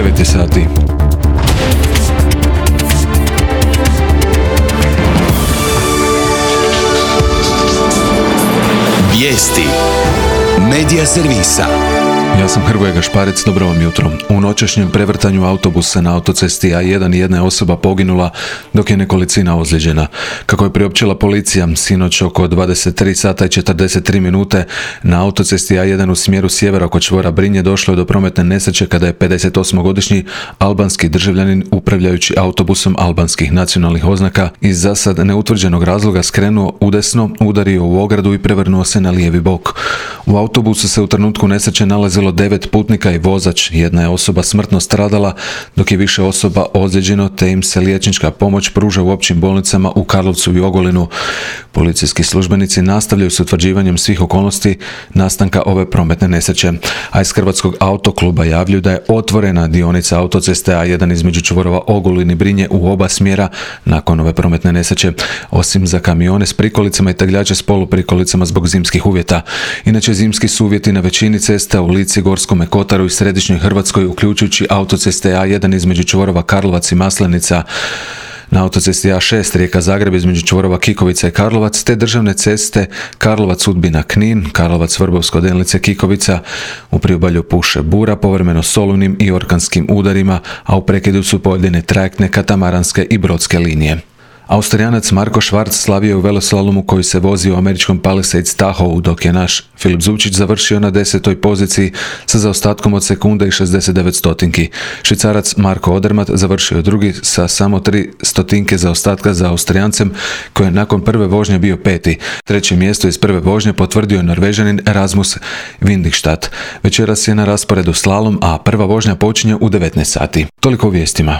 9 sati. Vijesti Medija servisa. Ja sam Hrvoje Gašparec, dobro vam jutro. U noćašnjem prevrtanju autobusa na autocesti A1 jedna je osoba poginula, dok je nekolicina ozlijeđena. Kako je priopćila policija, sinoć oko 23 sata i 43 minute na autocesti A1 u smjeru sjevera oko čvora Brinje došlo je do prometne nesreće kada je 58-godišnji albanski državljanin upravljajući autobusom albanskih nacionalnih oznaka iz zasad neutvrđenog razloga skrenuo udesno, udario u ogradu i prevrnuo se na lijevi bok. U autobusu se u trenutku nesreće nalazilo 9 putnika i vozač. Jedna je osoba smrtno stradala, dok je više osoba ozlijeđeno, te im se liječnička pomoć pruža u općim bolnicama u Karlovcu i Ogulinu. Policijski službenici nastavljaju s utvrđivanjem svih okolnosti nastanka ove prometne nesreće. A iz Hrvatskog autokluba javljaju da je otvorena dionica autoceste A1 između čvorova Ogulin i Brinje u oba smjera nakon ove prometne nesreće, osim za kamione s prikolicama i tegljače s poluprikolicama zbog zimskih uvjeta. Inače, zimski su uvjeti na većini cesta u Lici, Gorskome kotaru i središnjoj Hrvatskoj, uključujući autoceste A1 između čvorova Karlovac i Maslenica, na autocesti A6 Rijeka-Zagreb između čvorova Kikovica i Karlovac, te državne ceste Karlovac-Udbina-Knin, Karlovac-Vrbovsko-Delnice-Kikovica, u priobalju puše bura, povremeno s olujnim i orkanskim udarima, a u prekidu su pojedine trajektne, katamaranske i brodske linije. Austrijanac Marko Švarc slavio je u veloslalomu koji se vozi u američkom Palisades Tahoe, dok je naš Filip Zubčić završio na 10. poziciji sa zaostatkom od sekunde i 69 stotinki. Švicarac Marko Odermatt završio je drugi sa samo 3 stotinke zaostatka za Austrijancem, koji je nakon prve vožnje bio peti. Treće mjesto iz prve vožnje potvrdio je Norvežanin Rasmus Windischstad. Večeras je na rasporedu slalom, a prva vožnja počinje u 19 sati. Toliko u vijestima.